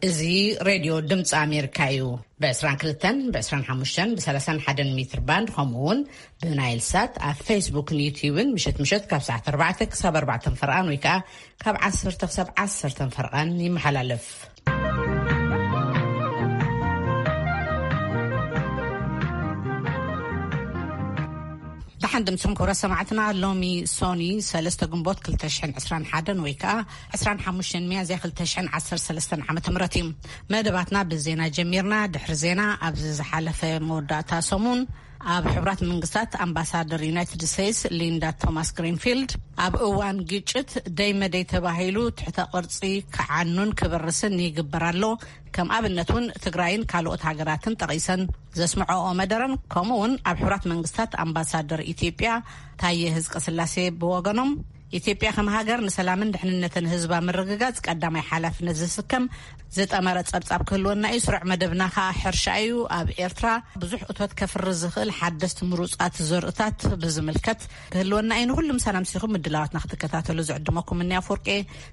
እዚ ሬድዮ ድምፂ ኣሜሪካ እዩ። ብ22፣ ብ25፣ ብ31 ሜትር ባንድ፣ ከምኡ እውን ብናይል ሳት ኣብ ፌስቡክን ዩትዩብን ምሸት ምሸት ካብ ሰዓት ኣርባዕተ ክሳብ ኣርባዕተ ፈርቓን ወይ ከዓ ካብ ዓሰርተ ክሳብ ዓሰርተ ፈርቓን ይመሓላለፍ። ደሓን ድምፅኹም ክብረ ሰማዕትና። ሎሚ ሶኒ ሰለስተ ግንቦት ክልተ ሽሕን ዕስራን ሓደን ወይ ከዓ ዕስራን ሓሙሽተን ሚያዝያ ክልተ ሽሕን ዓሰርተ ሰለስተን ዓመተ ምህረት እዩ። መደባትና ብዜና ጀሚርና። ድሕሪ ዜና፣ ኣብዚ ዝሓለፈ መወዳእታ ሰሙን ኣብ ሕቡራት መንግስታት ኣምባሳደር ዩናይትድ ስቴትስ ሊንዳ ቶማስ ግሪንፊልድ፣ ኣብ እዋን ግጭት ደይ መደይ ተባሂሉ ትሕተ ቅርጺ ክዓኑን ክብርስን ይግበር ኣሎ፣ ከም ኣብነት እውን ትግራይን ካልኦት ሃገራትን ጠቒሰን ዘስምዐኦ መደረን፣ ከምኡ እውን ኣብ ሕቡራት መንግስታት ኣምባሳደር ኢትዮጵያ ታየ ህዝቀ ስላሴ ብወገኖም፣ ኢትዮጵያ ከም ሃገር ንሰላምን ድሕንነትን ህዝባ ምርግጋጽ ቀዳማይ ሓላፍነት ዝስከም ዝጠመረ ጸብጻብ ክህልወና እዩ። ስሩዕ መደብና ከኣ ሕርሻ እዩ። ኣብ ኤርትራ ብዙሕ እቶት ከፍሪ ዝኽእል ሓደስቲ ምሩጻት ዘርእታት ብዝምልከት ክህልወና እዩ። ንኹሉም ሰላም ሲኹም ምድላዋትና ክትከታተሉ ዝዕድመኩም እኒ ኣፍወርቄ።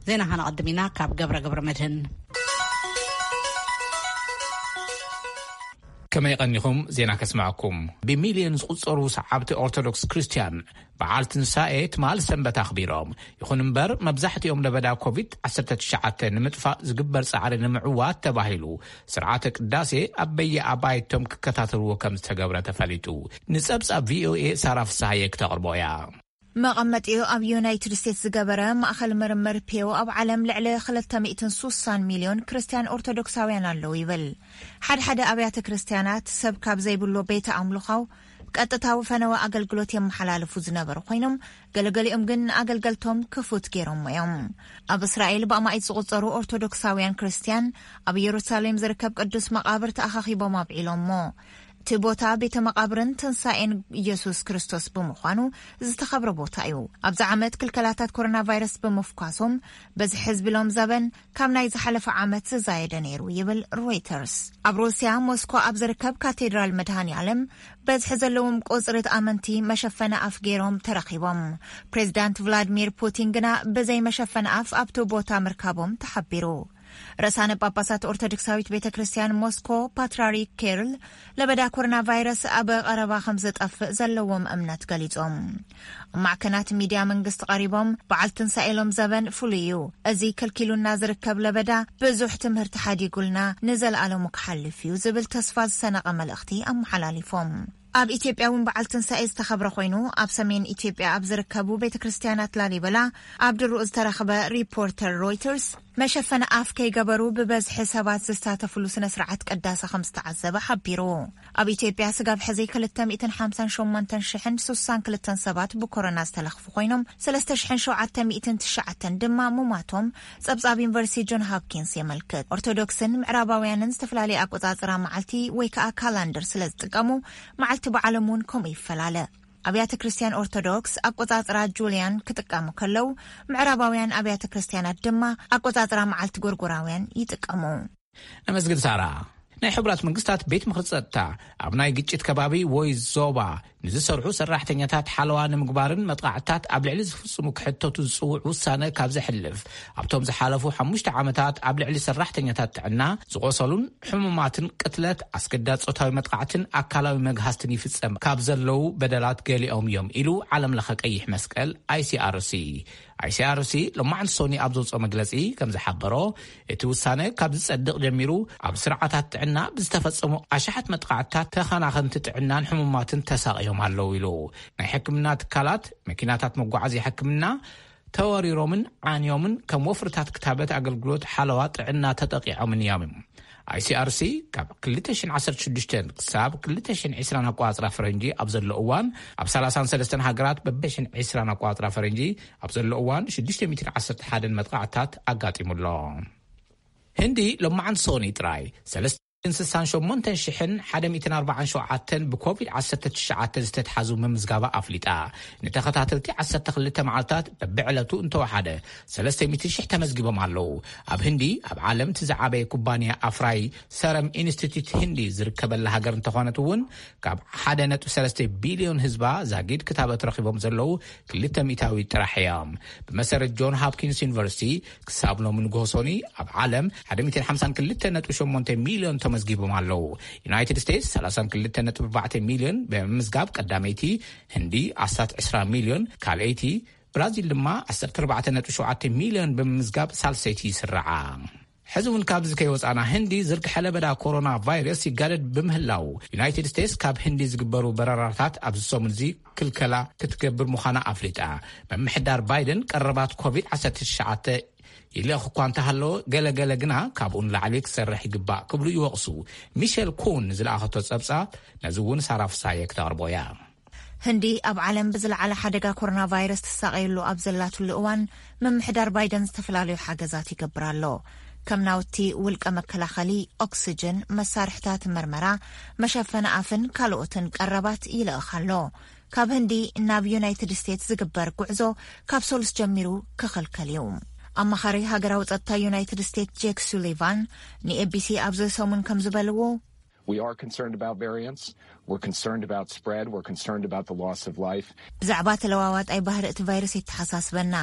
ዜና ከነቐድም ኢና ካብ ገብረ ገብረ መድህን። ከመይ ቀኒኹም? ዜና ከስምዐኩም። ብሚልዮን ዝቑጸሩ ሰዓብቲ ኦርቶዶክስ ክርስትያን በዓል ትንሳኤ ትማል ሰንበት ኣኽቢሮም። ይኹን እምበር፣ መብዛሕትኦም ለበዳ ኮቪድ ዓሰርተ ትሽዓተ ንምጥፋእ ዝግበር ጻዕሪ ንምዕዋት ተባሂሉ፣ ስርዓተ ቅዳሴ ኣብ በየኣባይቶም ክከታተልዎ ከም ዝተገብረ ተፈሊጡ። ንጸብጻብ ቪኦኤ ሳራ ፍስሃየ ክተቕርቦ እያ። መቐመጢኡ ኣብ ዩናይትድ ስቴትስ ዝገበረ ማእኸል ምርምር ፒው፣ ኣብ ዓለም ልዕሊ ክልተ ሚእትን ሱሳን ሚልዮን ክርስትያን ኦርቶዶክሳውያን ኣለዉ ይብል። ሓድሓደ ኣብያተ ክርስትያናት ሰብ ካብ ዘይብሎ ቤተ ኣምልኻው ቀጥታዊ ፈነወ ኣገልግሎት የመሓላልፉ ዝነበሩ ኮይኖም፣ ገለገሊኦም ግን ንኣገልገልቶም ክፉት ገይሮሞ እዮም። ኣብ እስራኤል ብኣማኢት ዝቑጸሩ ኦርቶዶክሳውያን ክርስትያን ኣብ ኢየሩሳሌም ዝርከብ ቅዱስ መቓብር ተኣኻኺቦም ኣብዒሎሞ። እቲ ቦታ ቤተ መቓብርን ትንሳኤን ኢየሱስ ክርስቶስ ብምዃኑ ዝተኸብረ ቦታ እዩ። ኣብዚ ዓመት ክልከላታት ኮሮና ቫይረስ ብምፍኳሶም፣ በዝሒ ህዝቢ ሎም ዘበን ካብ ናይ ዝሓለፈ ዓመት ዝዛየደ ነይሩ ይብል ሮይተርስ። ኣብ ሩስያ ሞስኮ ኣብ ዝርከብ ካቴድራል መድሃኒ ዓለም በዝሒ ዘለዎም ቁጽሪ ኣመንቲ መሸፈኒ ኣፍ ገይሮም ተረኺቦም። ፕሬዚዳንት ቭላድሚር ፑቲን ግና ብዘይ መሸፈኒ ኣፍ ኣብቲ ቦታ ምርካቦም ተሓቢሩ። ርእሳነ ጳጳሳት ኦርቶዶክሳዊት ቤተ ክርስቲያን ሞስኮ ፓትርያርክ ኪሪል ለበዳ ኮሮና ቫይረስ ኣብ ቀረባ ከም ዝጠፍእ ዘለዎም እምነት ገሊጾም። ኣብ ማዕከናት ሚድያ መንግስቲ ቀሪቦም፣ በዓል ትንሳኤ ሎም ዘበን ፍሉይ እዩ፣ እዚ ከልኪሉና ዝርከብ ለበዳ ብዙሕ ትምህርቲ ሓዲጉልና ንዘለኣለሙ ክሓልፍ እዩ ዝብል ተስፋ ዝሰነቐ መልእኽቲ ኣመሓላሊፎም። ኣብ ኢትዮጵያ እውን በዓል ትንሳኤ ዝተኸብረ ኮይኑ፣ ኣብ ሰሜን ኢትዮጵያ ኣብ ዝርከቡ ቤተ ክርስቲያናት ላሊበላ ኣብ ድሩኡ ዝተረኽበ ሪፖርተር ሮይተርስ፣ መሸፈኒ ኣፍ ከይገበሩ ብበዝሒ ሰባት ዝሳተፍሉ ስነ ስርዓት ቅዳሴ ከም ዝተዓዘበ ሓቢሩ። ኣብ ኢትዮጵያ ስጋብ ሕዚ ክልተ ሚእትን ሓምሳን ሸሞንተን ሽሕን ሱሳን ክልተን ሰባት ብኮሮና ዝተለኽፉ ኮይኖም፣ ሰለስተ ሽሕን ሸውዓተ ሚእትን ትሽዓተን ድማ ሙማቶም ጸብጻብ ዩኒቨርሲቲ ጆን ሆፕኪንስ የመልክት። ኦርቶዶክስን ምዕራባውያንን ዝተፈላለየ ኣቆጻጽራ መዓልቲ ወይ ከኣ ካላንደር ስለ ዝጥቀሙ፣ መዓልቲ በዓሎም እውን ከምኡ ይፈላለ። ኣብያተ ክርስቲያን ኦርቶዶክስ ኣቆጻጽራ ጁልያን ክጥቀሙ ከለዉ፣ ምዕራባውያን ኣብያተ ክርስቲያናት ድማ ኣቆጻጽራ መዓልቲ ጎርጎራውያን ይጥቀሙ። ነመስግን ሳራ። ናይ ሕቡራት መንግስታት ቤት ምኽሪ ጸጥታ ኣብ ናይ ግጭት ከባቢ ወይ ዞባ ንዝሰርሑ ሰራሕተኛታት ሓለዋ ንምግባርን መጥቃዕትታት ኣብ ልዕሊ ዝፍጽሙ ክሕተቱ ዝጽውዕ ውሳነ ካብ ዘሕልፍ፣ ኣብቶም ዝሓለፉ ሓሙሽተ ዓመታት ኣብ ልዕሊ ሰራሕተኛታት ጥዕና ዝቖሰሉን ሕሙማትን ቅትለት፣ ኣስገዳድ ጾታዊ መጥቃዕትን ኣካላዊ መግሃስትን ይፍጸም ካብ ዘለዉ በደላት ገሊኦም እዮም ኢሉ ዓለም ለኸ ቀይሕ መስቀል፣ ኣይሲኣርሲ። ኣይሲኣርሲ ሎማዕንቲ ሶኒ ኣብ ዘውፅኦ መግለፂ ከም ዝሓበሮ፣ እቲ ውሳነ ካብ ዝጸድቕ ጀሚሩ ኣብ ስርዓታት ጥዕና ብዝተፈጸሙ ኣሽሓት መጥቃዕትታት ተኸናኸንቲ ጥዕናን ሕሙማትን ተሳቕዮም ኣለዉ ኢሉ። ናይ ሕክምና ትካላት፣ መኪናታት መጓዓዝያ ሕክምና ተወሪሮምን ዓንዮምን ከም ወፍርታት ክታበት ኣገልግሎት ሓለዋ ጥዕና ተጠቂዖምን እዮም። ኣይሲኣርሲ ካብ ክልተ ሽሕን ዓሰርተ ሽዱሽተን ክሳብ ክልተ ሽሕን ዕስራን ኣቋጽራ ፈረንጂ ኣብ ዘሎ እዋን፣ ኣብ ሰላሳን ሰለስተን ሃገራት በበሽን ዕስራን ኣቋጽራ ፈረንጂ ኣብ ዘሎ እዋን ሽዱሽተ ሚእትን ዓሰርተ ሓደን መጥቃዕታት ኣጋጢሙ ኣሎ። ህንዲ ሎማዓንቲ ሶኒ ጥራይ ሰለስተ ስሳን ሸሞንተን ሽሕን ሓደ ሚእትን ኣርባዓን ሸውዓተን ብኮቪድ ዓሰርተ ትሽዓተ ዝተትሓዙ ምምዝጋባ ኣፍሊጣ። ንተኸታተልቲ ዓሰርተ ክልተ መዓልታት በብዕለቱ እንተወሓደ ሰለስተ ሚእቲ ሽሕ ተመዝጊቦም ኣለዉ። ኣብ ህንዲ፣ ኣብ ዓለም እቲ ዝዓበየ ኩባንያ ኣፍራይ ሰረም ኢንስቲትዩት ህንዲ ዝርከበላ ሃገር እንተኾነት እውን፣ ካብ ሓደ ነጥቢ ሰለስተ ቢልዮን ህዝባ ዛጊድ ክታበት ረኺቦም ዘለዉ ክልተ ሚእታዊ ጥራሕ እዮም። ብመሰረት ጆን ሆፕኪንስ ዩኒቨርሲቲ፣ ክሳብ ሎሚ ንግሆ ሰኑይ ኣብ ዓለም ሓደ ሚእትን ሓምሳን ክልተ ነጥቢ ሸሞንተ ሚልዮን ተመዝጊቦም ኣለዉ። ዩናይትድ ስቴትስ ሰላሳን ክልተ ነጥቢ ኣርባዕተ ሚልዮን ብምምዝጋብ ቀዳመይቲ፣ ህንዲ ኣስታት ዕስራ ሚልዮን ካልኣይቲ፣ ብራዚል ድማ ዓሰርተ ኣርባዕተ ነጥቢ ሸውዓተ ሚልዮን ብምምዝጋብ ሳልሰይቲ ይስርዓ። ሕዚ እውን ካብዚ ከይወፃና፣ ህንዲ ዝርግሐ ለበዳ ኮሮና ቫይረስ ይጋደድ ብምህላው፣ ዩናይትድ ስቴትስ ካብ ህንዲ ዝግበሩ በረራታት ኣብዚ ሰሙን እዚ ክልከላ ክትገብር ምዃና ኣፍሊጣ። ምምሕዳር ባይደን ቀረባት ኮቪድ ዓሰርተ ትሽዓተ ይልእኽ እኳ እንተሃለወ፣ ገለገለ ግና ካብኡ ንላዕሊ ክሰርሕ ይግባእ ክብሉ ይወቕሱ። ሚሸል ኩን ንዝለኣኸቶ ጸብጻብ ነዚ እውን ሳራ ፍሳየ ክተቕርቦ እያ። ህንዲ ኣብ ዓለም ብዝለዓለ ሓደጋ ኮሮና ቫይረስ ትሳቐየሉ ኣብ ዘላትሉ እዋን፣ ምምሕዳር ባይደን ዝተፈላለዩ ሓገዛት ይገብር ኣሎ። ከም ናውቲ ውልቀ መከላኸሊ፣ ኦክስጅን፣ መሳርሕታት መርመራ፣ መሸፈኒ ኣፍን ካልኦትን ቀረባት ይልእኽ ኣሎ። ካብ ህንዲ ናብ ዩናይትድ ስቴትስ ዝግበር ጉዕዞ ካብ ሰሉስ ጀሚሩ ክኽልከል እዩ። ኣማኻሪ ሃገራዊ ጸጥታ ዩናይትድ ስቴትስ ጄክ ሱሊቫን ንኤቢሲ ኣብዚ ሰሙን ከም ዝበልዎ፣ We are concerned about variants. We're concerned about spread. We're concerned about the loss of life. ብዛዕባ ተለዋዋጣይ ባህሪ እቲ ቫይረስ የተሓሳስበና።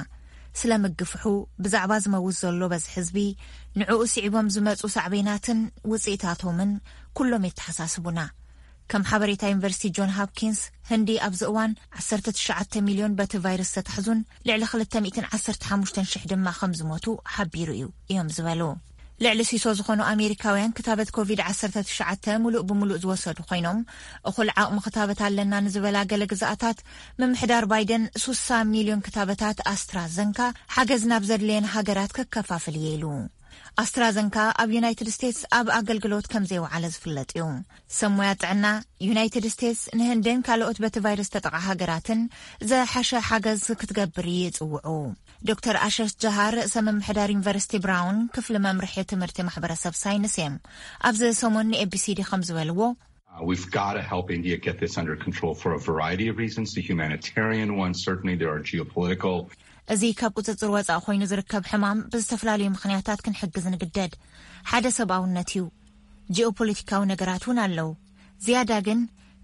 ስለ ምግፍሑ፣ ብዛዕባ ዝመውት ዘሎ በዝሒ ህዝቢ፣ ንዕኡ ስዒቦም ዝመጹ ሳዕቤናትን ውጽኢታቶምን ኩሎም የተሓሳስቡና። ከም ሓበሬታ ዩኒቨርሲቲ ጆን ሆፕኪንስ፣ ህንዲ ኣብዚ እዋን ዓሰርተ ትሽዓተ ሚልዮን በቲ ቫይረስ ዝተታሕዙን ልዕሊ ክልተ ሚእትን ዓሰርተ ሓሙሽተን ሽሕ ድማ ከም ዝሞቱ ሓቢሩ እዩ እዮም ዝበሉ። ልዕሊ ሲሶ ዝኾኑ ኣሜሪካውያን ክታበት ኮቪድ ዓሰርተ ትሽዓተ ሙሉእ ብሙሉእ ዝወሰዱ ኮይኖም፣ እኹል ዓቕሚ ክታበት ኣለና ንዝበላ ገለ ግዝኣታት፣ ምምሕዳር ባይደን ሱሳ ሚልዮን ክታበታት ኣስትራዘንካ ሓገዝ ናብ ዘድልየን ሃገራት ከከፋፍል እየ ኢሉ። ኣስትራዘንካ ኣብ ዩናይትድ ስቴትስ ኣብ ኣገልግሎት ከም ዘይወዓለ ዝፍለጥ እዩ። ሰብ ሞያ ጥዕና ዩናይትድ ስቴትስ ንህንድን ካልኦት በቲ ቫይረስ ተጠቓ ሃገራትን ዝሓሸ ሓገዝ ክትገብር ይጽውዑ። ዶክተር ኣሸሽ ጀሃር፣ ርእሰ ምምሕዳር ዩኒቨርሲቲ ብራውን ክፍሊ መምርሒ ትምህርቲ ማሕበረሰብ ሳይንስ እዮም። ኣብዚ ሰሙን ንኤቢሲዲ ከም ዝበልዎ፣ Uh, we've got to help India get this under control for a variety of reasons. The humanitarian one, certainly there are geopolitical. እዚ ካብ ቁጽጽር ወጻኢ ኮይኑ ዝርከብ ሕማም ብዝተፈላለዩ ምኽንያታት ክንሕግዝ ንግደድ። ሓደ ሰብኣውነት እዩ። ጂኦፖለቲካዊ ነገራት እውን ኣለዉ። ዝያዳ ግን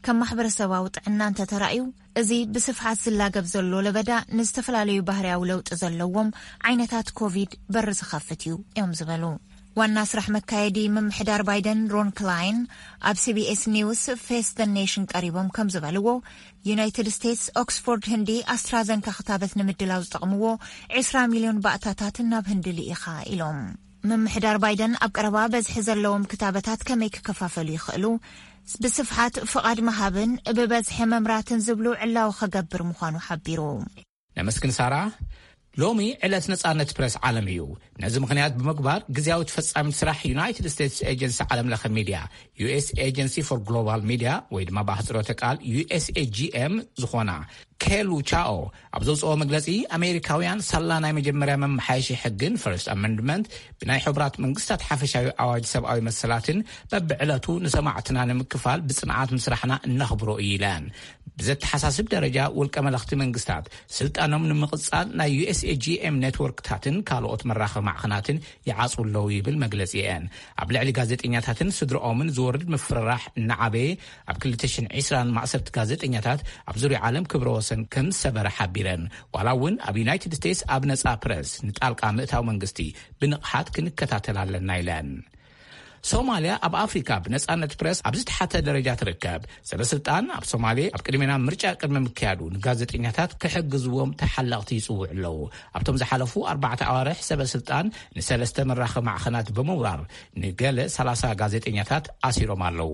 ከም ማሕበረሰባዊ ጥዕና እንተተራእዩ፣ እዚ ብስፍሓት ዝላገብ ዘሎ ለበዳ ንዝተፈላለዩ ባህርያዊ ለውጢ ዘለዎም ዓይነታት ኮቪድ በሪ ዝኸፍት እዩ እዮም ዝበሉ። ዋና ስራሕ መካየዲ ምምሕዳር ባይደን ሮን ክላይን ኣብ ሲቢኤስ ኒውስ ፌስ ደ ኔሽን ቀሪቦም ከም ዝበልዎ፣ ዩናይትድ ስቴትስ ኦክስፎርድ ህንዲ ኣስትራዘንካ ክታበት ንምድላው ዝጠቕምዎ ዕስራ ሚልዮን ባእታታት ናብ ህንዲ ልኢኻ ኢሎም። ምምሕዳር ባይደን ኣብ ቀረባ በዝሒ ዘለዎም ክታበታት ከመይ ክከፋፈሉ ይኽእሉ፣ ብስፍሓት ፍቓድ ምሃብን ብበዝሒ መምራትን ዝብሉ ዕላዊ ከገብር ምዃኑ ሓቢሩ። ነመስግን ሳራ። ሎሚ ዕለት ነጻነት ፕረስ ዓለም እዩ። ነዚ ምኽንያት ብምግባር፣ ግዝያዊ ተፈጻሚት ስራሕ ዩናይትድ ስቴትስ ኤጀንሲ ዓለም ለኸ ሚድያ፣ ዩኤስ ኤጀንሲ ፎር ግሎባል ሚድያ፣ ወይ ድማ ብኣህጽሮተ ቃል ዩኤስኤጂኤም ዝኾና ኬሉ ቻኦ ኣብ ዘውፅኦ መግለጺ፣ ኣሜሪካውያን ሳላ ናይ መጀመርያ መመሓየሺ ሕግን ፈርስት ኣመንድመንት ብናይ ሕቡራት መንግስታት ሓፈሻዊ ኣዋጅ ሰብኣዊ መሰላትን በብዕለቱ ንሰማዕትና ንምክፋል ብጽንዓት ምስራሕና እነኽብሮ እዩ ኢለን። ብዘተሓሳስብ ደረጃ፣ ውልቀ መለኽቲ መንግስታት ስልጣኖም ንምቕጻል ናይ ዩኤስኤጂኤም ኔትወርክታትን ካልኦት መራኸቢ ማዕኸናትን ይዓጽዉ ኣለዉ ይብል መግለጺአን። ኣብ ልዕሊ ጋዜጠኛታትን ስድርኦምን ዝወርድ ምፍርራሕ እናዓበየ፣ ኣብ ክልተ ሽሕን ዕስራን ማእሰርቲ ጋዜጠኛታት ኣብ ዙርያ ዓለም ክብረ ወሰን ከም ዝሰበረ ሓቢረን። ዋላ እውን ኣብ ዩናይትድ ስቴትስ ኣብ ነጻ ፕረስ ንጣልቃ ምእታው መንግስቲ ብንቕሓት ክንከታተል ኣለና ኢለን። ሶማልያ ኣብ ኣፍሪካ ብነጻነት ፕረስ ኣብ ዝተሓተ ደረጃ ትርከብ። ሰበስልጣን ኣብ ሶማሌ ኣብ ቅድሜና ምርጫ ቅድሚ ምክያዱ ንጋዜጠኛታት ክሕግዝዎም ተሓለቕቲ ይጽውዑ ኣለዉ። ኣብቶም ዝሓለፉ ኣርባዕተ ኣዋርሕ ሰበስልጣን ንሰለስተ መራኸቢ ማዕኸናት ብምውራር ንገለ ሰላሳ ጋዜጠኛታት ኣሲሮም ኣለዉ።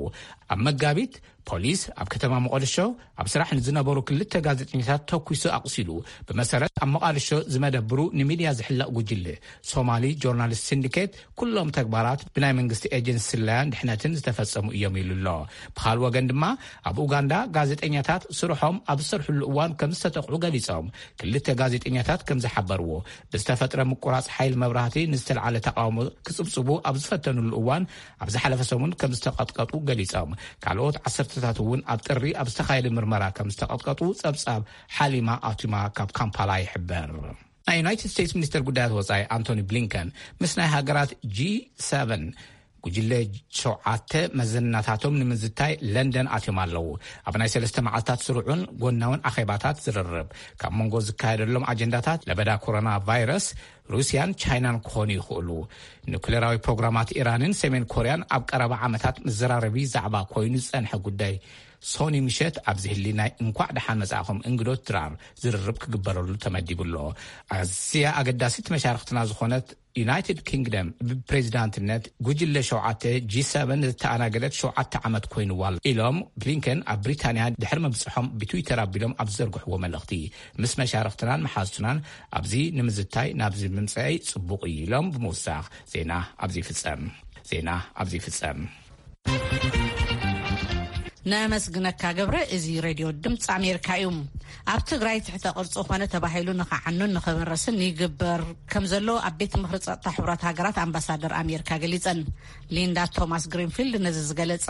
ኣብ መጋቢት ፖሊስ ኣብ ከተማ መቐድሾ ኣብ ስራሕ ንዝነበሩ ክልተ ጋዜጠኛታት ተኩሱ ኣቑሲሉ። ብመሰረት ኣብ መቓድሾ ዝመደብሩ ንሚድያ ዝሕለቕ ጉጅለ ሶማሊ ጆርናሊስት ሲንዲኬት፣ ኩሎም ተግባራት ብናይ መንግስቲ ኤጀንሲ ስለያን ድሕነትን ዝተፈጸሙ እዮም ኢሉ ኣሎ። ብኻልእ ወገን ድማ፣ ኣብ ኡጋንዳ ጋዜጠኛታት ስርሖም ኣብ ዝሰርሕሉ እዋን ከም ዝተጠቕዑ ገሊጾም። ክልተ ጋዜጠኛታት ከም ዝሓበርዎ፣ ብዝተፈጥረ ምቁራጽ ሓይል መብራህቲ ንዝተልዓለ ተቃውሞ ክጽብጽቡ ኣብ ዝፈተኑሉ እዋን፣ ኣብ ዝሓለፈ ሰሙን ከም ዝተቐጥቀጡ ገሊጾም። ካልኦት ዓሰርተታት እውን ኣብ ጥሪ ኣብ ዝተኻየደ ምርመራ ከም ዝተቐጥቀጡ ጸብጻብ ሓሊማ ኣቱማ ካብ ካምፓላ ይሕበር። ናይ ዩናይትድ ስቴትስ ሚኒስተር ጉዳያት ወጻኢ ኣንቶኒ ብሊንከን ምስ ናይ ሃገራት ጂ ሰቨን ጉጅለ ሸውዓተ መዘናታቶም ንምዝታይ ለንደን ኣትዮም ኣለዉ። ኣብ ናይ ሰለስተ መዓልታት ስሩዑን ጎናውን ኣኼባታት ዝርርብ፣ ካብ መንጎ ዝካየደሎም ኣጀንዳታት ለበዳ ኮሮና ቫይረስ፣ ሩስያን ቻይናን ክኾኑ ይኽእሉ። ኑክሌራዊ ፕሮግራማት ኢራንን ሰሜን ኮርያን ኣብ ቀረባ ዓመታት መዘራረቢ ዛዕባ ኮይኑ ዝጸንሐ ጉዳይ፣ ሶኒ ምሸት ኣብዚ ህሊ ናይ እንኳዕ ደሓን መጻእኹም እንግዶት ድራር ዝርርብ ክግበረሉ ተመዲቡ ኣሎ። ኣዝያ ኣገዳሲት መሻርክትና ዝኾነት ዩናይትድ ኪንግደም፣ ብፕሬዚዳንትነት ጉጅለ ሸውዓተ ጂ ሰቨን ዝተኣናገደት ሸውዓተ ዓመት ኮይኑዋ ኣሎ ኢሎም ብሊንከን ኣብ ብሪታንያ ድሕሪ ምብጽሖም ብትዊተር ኣቢሎም ኣብ ዝዘርግሕዎ መልእኽቲ፣ ምስ መሻርክትናን መሓዝቱናን ኣብዚ ንምዝታይ ናብዚ ምምጻይ ጽቡቕ እዩ ኢሎም ብምውሳኽ፣ ዜና ኣብዚ ይፍጸም። ዜና ኣብዚ ይፍጸም። ነመስግነካ ገብረ። እዚ ሬድዮ ድምፂ ኣሜሪካ እዩ። ኣብ ትግራይ ትሕተ ቅርፂ ኮነ ተባሂሉ ንኸዓኑን ንኸበረስን ይግበር ከም ዘሎ ኣብ ቤት ምኽሪ ፀጥታ ሕቡራት ሃገራት ኣምባሳደር ኣሜሪካ ገሊፀን። ሊንዳ ቶማስ ግሪንፊልድ ነዚ ዝገለፃ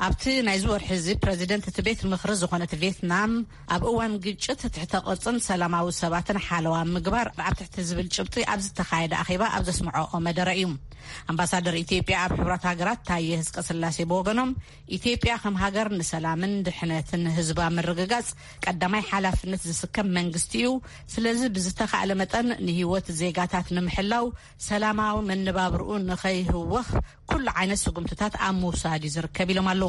ኣብቲ ናይዚ ወርሒ እዚ ፕረዚደንት እቲ ቤት ምኽሪ ዝኾነት ቪየትናም ኣብ እዋን ግጭት ትሕተ ቅርፅን ሰላማዊ ሰባትን ሓለዋ ምግባር ኣብ ትሕቲ ዝብል ጭብጢ ኣብ ዝተኻየደ ኣኼባ ኣብ ዘስምዐኦ መደረ እዩ። ኣምባሳደር ኢትዮጵያ ኣብ ሕቡራት ሃገራት ታየ ህዝቀ ስላሴ ብወገኖም፣ ኢትዮጵያ ከም ሃገር ንሰላምን ድሕነትን ህዝባ ምርግጋጽ ቀዳማይ ሓላፍነት ዝስከም መንግስቲ እዩ። ስለዚ ብዝተኻእለ መጠን ንህይወት ዜጋታት ንምሕላው፣ ሰላማዊ መነባብርኡ ንኸይህወኽ ኩሉ ዓይነት ስጉምትታት ኣብ ምውሳድ እዩ ዝርከብ ኢሎም ኣለዉ።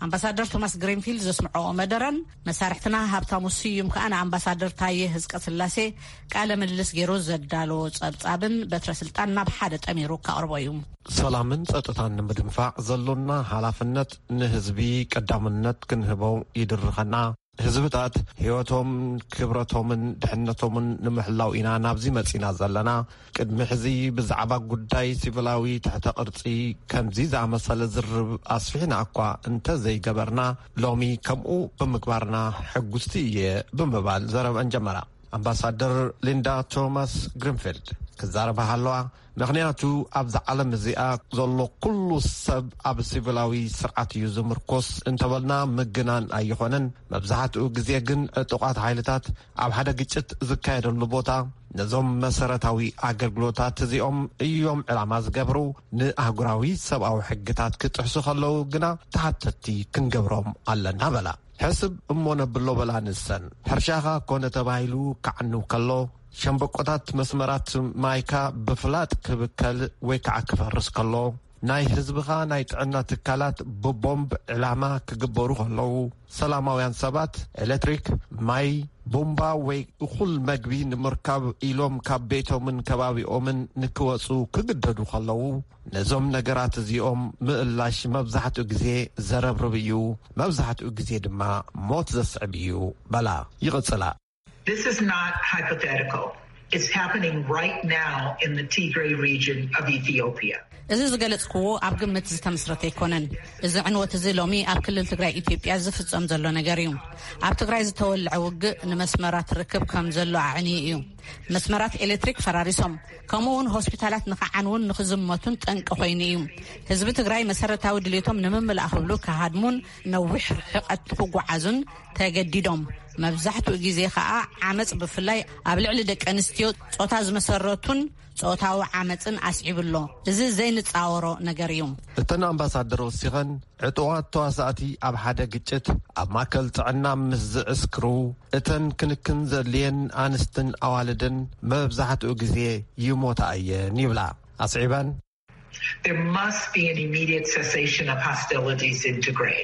ኣምባሳደር ቶማስ ግሪንፊልድ ዘስምዐኦ መደረን መሳርሕትና ሃብታሙ ስዩም ከኣ ንኣምባሳደር ታየ ህዝቀ ስላሴ ቃለ ምልልስ ገይሩ ዘዳለዎ ጸብጻብን በትረ ስልጣን ናብ ሓደ ጠሚሩ ከቕርቦ እዩ። ሰላምን ጸጥታን ንምድንፋዕ ዘሎና ሓላፍነት ንህዝቢ ቀዳምነት ክንህቦ ይድርኸና። ህዝብታት ህይወቶም፣ ክብረቶምን ድሕነቶምን ንምሕላው ኢና ናብዚ መጺና ዘለና። ቅድሚ ሕዚ ብዛዕባ ጉዳይ ሲቪላዊ ትሕተ ቅርጺ ከምዚ ዝኣመሰለ ዝርብ ኣስፊሕና እኳ እንተ ዘይገበርና፣ ሎሚ ከምኡ ብምግባርና ሕጉስቲ እየ ብምባል ዘረበን ጀመራ። ኣምባሳደር ሊንዳ ቶማስ ግሪንፊልድ ክዛረባ ሃለዋ፣ ምኽንያቱ ኣብዛ ዓለም እዚኣ ዘሎ ኩሉ ሰብ ኣብ ሲቪላዊ ስርዓት እዩ ዝምርኮስ እንተበልና ምግናን ኣይኾነን። መብዛሕትኡ ግዜ ግን ዕጡቓት ሓይልታት ኣብ ሓደ ግጭት ዝካየደሉ ቦታ ነዞም መሰረታዊ ኣገልግሎታት እዚኦም እዮም ዕላማ ዝገብሩ። ንኣህጉራዊ ሰብኣዊ ሕግታት ክጥሕሱ ከለዉ ግና ተሓተትቲ ክንገብሮም ኣለና በላ። ሕስብ እሞ ነብሎ በላ ንሰን። ሕርሻኻ ኮነ ተባሂሉ ክዓኑ ከሎ፣ ሸምበቆታት መስመራት ማይካ ብፍላጥ ክብከል ወይ ከዓ ክፈርስ ከሎ፣ ናይ ህዝብኻ ናይ ጥዕና ትካላት ብቦምብ ዕላማ ክግበሩ ከለዉ፣ ሰላማውያን ሰባት ኤሌክትሪክ፣ ማይ፣ ቡምባ ወይ እኹል መግቢ ንምርካብ ኢሎም ካብ ቤቶምን ከባቢኦምን ንክወፁ ክግደዱ ከለዉ፣ ነዞም ነገራት እዚኦም ምእላሽ መብዛሕትኡ ግዜ ዘረብርብ እዩ፣ መብዛሕትኡ ግዜ ድማ ሞት ዘስዕብ እዩ በላ። ይቕጽላ። This is not hypothetical. It's happening right now in the Tigray region of Ethiopia. እዚ ዝገለጽክዎ ኣብ ግምት ዝተመስረተ ኣይኮነን። እዚ ዕንወት እዚ ሎሚ ኣብ ክልል ትግራይ ኢትዮጵያ ዝፍጸም ዘሎ ነገር እዩ። ኣብ ትግራይ ዝተወልዐ ውግእ ንመስመራት ርክብ ከም ዘሎ ኣዕንዩ እዩ። መስመራት ኤሌክትሪክ ፈራሪሶም፣ ከምኡ እውን ሆስፒታላት ንኽዓንውን ንኽዝመቱን ጠንቂ ኮይኑ እዩ። ህዝቢ ትግራይ መሰረታዊ ድሌቶም ንምምላእ ክብሉ ክሃድሙን ነዊሕ ርሕቀት ክጓዓዙን ተገዲዶም። መብዛሕትኡ ግዜ ኸኣ ዓመጽ ብፍላይ ኣብ ልዕሊ ደቂ ኣንስትዮ ጾታ ዝመሰረቱን ጾታዊ ዓመጽን ኣስዒቡ ኣሎ። እዚ ዘይንጻወሮ ነገር እዩ። እተን ኣምባሳደር ወሲኸን፣ ዕጡቓት ተዋሳእቲ ኣብ ሓደ ግጭት ኣብ ማእከል ጥዕና ምስ ዝዕስክሩ፣ እተን ክንክን ዘድልየን ኣንስትን ኣዋልድን መብዛሕትኡ ግዜ ይሞታ እየን ይብላ። ኣስዒበን፣ There must be an immediate cessation of hostilities in Tigray.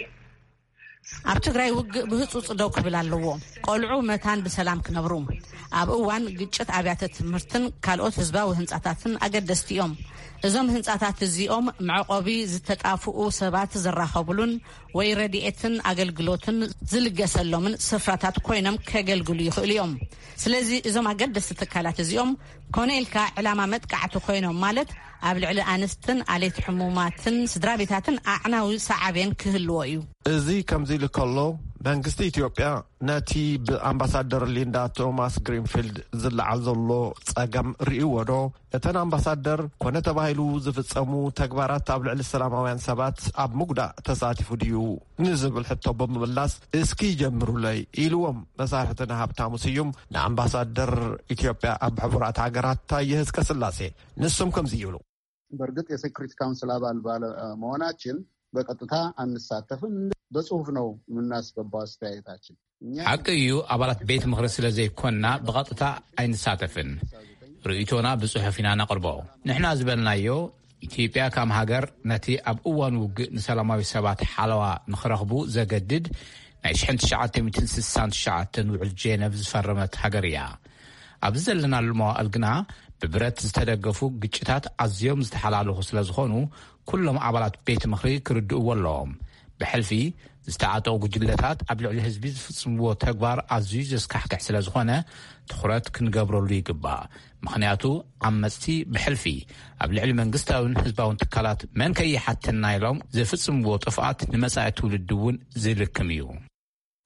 ኣብ ትግራይ ውግእ ብህጹጽ ደው ክብል ኣለዎ። ቆልዑ መታን ብሰላም ክነብሩ፣ ኣብ እዋን ግጭት ኣብያተ ትምህርትን ካልኦት ህዝባዊ ህንጻታትን ኣገደስቲ እዮም። እዞም ህንጻታት እዚኦም መዕቆቢ ዝተጣፍኡ ሰባት ዝራኸቡሉን ወይ ረድኤትን ኣገልግሎትን ዝልገሰሎምን ስፍራታት ኮይኖም ከገልግሉ ይኽእሉ እዮም። ስለዚ እዞም ኣገደስቲ ትካላት እዚኦም ኮነ ኢልካ ዕላማ መጥቃዕቲ ኮይኖም፣ ማለት ኣብ ልዕሊ ኣንስትን ኣሌት ሕሙማትን ስድራ ቤታትን ኣዕናዊ ሰዓቤን ክህልዎ እዩ። እዚ ከምዚ ኢሉ ከሎ፣ መንግስቲ ኢትዮጵያ ነቲ ብኣምባሳደር ሊንዳ ቶማስ ግሪንፊልድ ዝለዓል ዘሎ ጸገም ርእይዎ ዶ? እተን ኣምባሳደር ኮነ ተባሂሉ ዝፍጸሙ ተግባራት ኣብ ልዕሊ ሰላማውያን ሰባት ኣብ ምጉዳእ ተሳቲፉ ድዩ ንዝብል ሕቶ ብምምላስ፣ እስኪ ጀምሩለይ ኢልዎም መሳርሕትና ሃብታሙ ስዩም ንኣምባሳደር ኢትዮጵያ ኣብ ሕቡራት ሃገራት ታየ ህዝቀ ስላሴ። ንሶም ከምዚ ይብሉ። በእርግጥ የሴኩሪቲ ካውንስል አባል ባለመሆናችን በቀጥታ አንሳተፍም። በጽሁፍ ነው የምናስገባው አስተያየታችን። እኛ ሓቂ እዩ፣ ኣባላት ቤት ምኽሪ ስለ ዘይኮንና ብቐጥታ ኣይንሳተፍን። ርእይቶና ብጽሑፍ ኢና ነቕርቦ። ንሕና ዝበልናዮ፣ ኢትዮጵያ ከም ሃገር ነቲ ኣብ እዋን ውግእ ንሰላማዊ ሰባት ሓለዋ ንኽረኽቡ ዘገድድ ናይ ሽሕን ትሽዓተ ሚእትን ስሳን ትሽዓተን ውዕል ጄነቭ ዝፈረመት ሃገር እያ። ኣብዚ ዘለናሉ መዋእል ግና ብብረት ዝተደገፉ ግጭታት ኣዝዮም ዝተሓላለኹ ስለ ዝኾኑ፣ ኩሎም ኣባላት ቤት ምኽሪ ክርድእዎ ኣለዎም። ብሕልፊ ዝተዓጠቑ ጉጅለታት ኣብ ልዕሊ ህዝቢ ዝፍጽምዎ ተግባር ኣዝዩ ዘስካሕክሕ ስለ ዝኾነ፣ ትኹረት ክንገብረሉ ይግባእ። ምኽንያቱ፣ ዓመጽቲ ብሕልፊ ኣብ ልዕሊ መንግስታውን ህዝባውን ትካላት መን ከይሓተና ኢሎም ዝፍጽምዎ ጥፍኣት ንመጻኢ ትውልዲ እውን ዝልክም እዩ።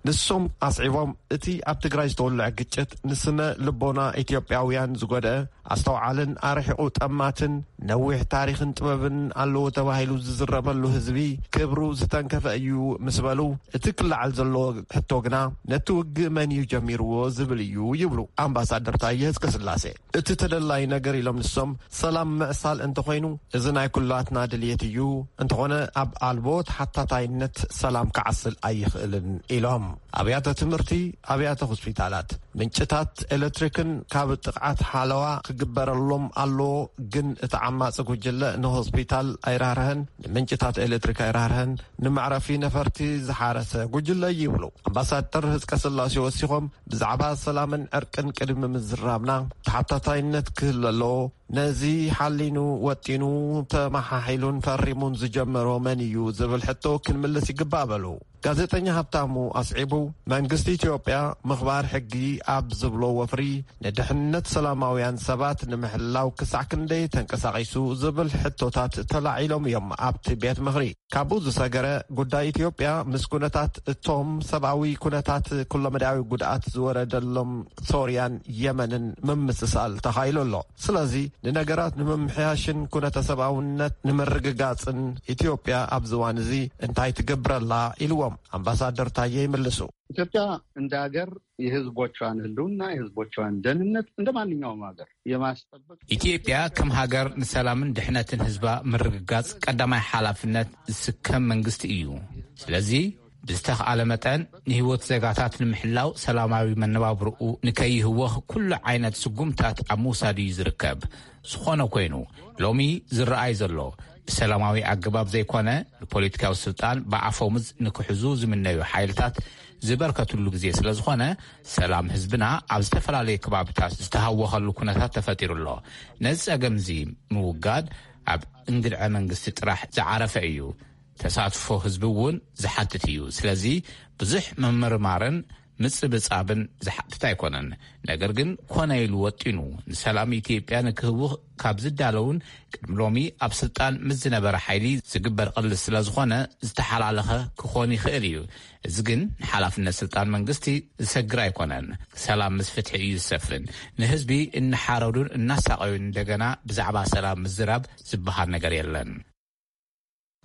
ንሶም ኣስዒቦም፣ እቲ ኣብ ትግራይ ዝተወልዐ ግጭት ንስነ ልቦና ኢትዮጵያውያን ዝጎድአ፣ ኣስተውዓልን ኣርሒቑ ጠማትን ነዊሕ ታሪኽን ጥበብን ኣለዎ ተባሂሉ ዝዝረበሉ ህዝቢ ክብሩ ዝተንከፈ እዩ ምስ በሉ፣ እቲ ክለዓል ዘለዎ ሕቶ ግና ነቲ ውግእ መን እዩ ጀሚርዎ ዝብል እዩ ይብሉ ኣምባሳደር ታየ ህዝቀስላሴ። እቲ ተደላይ ነገር ኢሎም ንሶም ሰላም ምዕሳል እንተኾይኑ እዚ ናይ ኩላትና ድልየት እዩ፣ እንተኾነ ኣብ ኣልቦ ተሓታታይነት ሰላም ክዓስል ኣይኽእልን ኢሎም። ኣብያተ ትምህርቲ፣ ኣብያተ ሆስፒታላት፣ ምንጭታት ኤሌክትሪክን ካብ ጥቕዓት ሓለዋ ክግበረሎም ኣለዎ። ግን እቲ ዓማፂ ጉጅለ ንሆስፒታል ኣይራህርሀን፣ ንምንጭታት ኤሌክትሪክ ኣይራህርሀን፣ ንመዕረፊ ነፈርቲ ዝሓረሰ ጉጅለ ይብሉ ኣምባሳደር ህዝቀ ስላሴ ወሲኾም። ብዛዕባ ሰላምን ዕርቅን ቅድሚ ምዝራብና ተሓታታይነት ክህሉ ኣለዎ። ነዚ ሓሊኑ ወጢኑ ተመሓሒሉን ፈሪሙን ዝጀመሮ መን እዩ ዝብል ሕቶ ክንምልስ ይግባእ በሉ። ጋዜጠኛ ሃብታሙ ኣስዒቡ፣ መንግስቲ ኢትዮጵያ ምኽባር ሕጊ ኣብ ዝብሎ ወፍሪ ንድሕንነት ሰላማውያን ሰባት ንምሕላው ክሳዕ ክንደይ ተንቀሳቒሱ ዝብል ሕቶታት ተላዒሎም እዮም ኣብቲ ቤት ምኽሪ። ካብኡ ዝሰገረ ጉዳይ ኢትዮጵያ ምስ ኩነታት እቶም ሰብኣዊ ኩነታት ኩለመዳያዊ ጉድኣት ዝወረደሎም ሶርያን የመንን ምምስሳል ተኻኢሉ ኣሎ። ስለዚ ንነገራት ንምምሕያሽን ኩነተ ሰብኣውነት ንምርግጋጽን ኢትዮጵያ ኣብዚ እዋን እዚ እንታይ ትገብረላ ኢልዎም ኣምባሳደር ታየ ይምልሱ። ኢትዮጵያ እንደ ሀገር የህዝቦቿን ህልውና፣ የህዝቦቿን ደህንነት እንደ ማንኛውም ሀገር የማስጠበቅ ኢትዮጵያ ከም ሃገር ንሰላምን ድሕነትን ህዝባ ምርግጋጽ ቀዳማይ ሓላፍነት ዝስከም መንግስቲ እዩ። ስለዚ ብዝተኽኣለ መጠን ንህይወት ዜጋታት ንምሕላው ሰላማዊ መነባብርኡ ንከይህወኽ ኩሉ ዓይነት ስጉምታት ኣብ ምውሳድ እዩ ዝርከብ። ዝኾነ ኮይኑ ሎሚ ዝረኣይ ዘሎ ብሰላማዊ ኣገባብ ዘይኮነ ንፖለቲካዊ ስልጣን ብኣፈሙዝ ንክሕዙ ዝምነዩ ሓይልታት ዝበርከትሉ ግዜ ስለ ዝኾነ ሰላም ህዝብና ኣብ ዝተፈላለዩ ከባብታት ዝተሃወኸሉ ኩነታት ተፈጢሩ ኣሎ። ነዚ ጸገም እዚ ምውጋድ ኣብ እንግድዐ መንግስቲ ጥራሕ ዝዓረፈ እዩ። ተሳትፎ ህዝቢ እውን ዝሓትት እዩ። ስለዚ ብዙሕ ምምርማርን ምጽብጻብን ዝሓትት ኣይኮነን። ነገር ግን ኮነ ኢሉ ወጢኑ ንሰላም ኢትዮጵያ ንክህውኽ ካብ ዝዳለውን ቅድሚ ሎሚ ኣብ ስልጣን ምስ ዝነበረ ሓይሊ ዝግበር ቅልስ ስለ ዝኾነ ዝተሓላለኸ ክኾን ይኽእል እዩ። እዚ ግን ንሓላፍነት ስልጣን መንግስቲ ዝሰግር ኣይኮነን። ሰላም ምስ ፍትሒ እዩ ዝሰፍን። ንህዝቢ እናሓረዱን እናሳቐዩን እንደገና ብዛዕባ ሰላም ምዝራብ ዝበሃል ነገር የለን።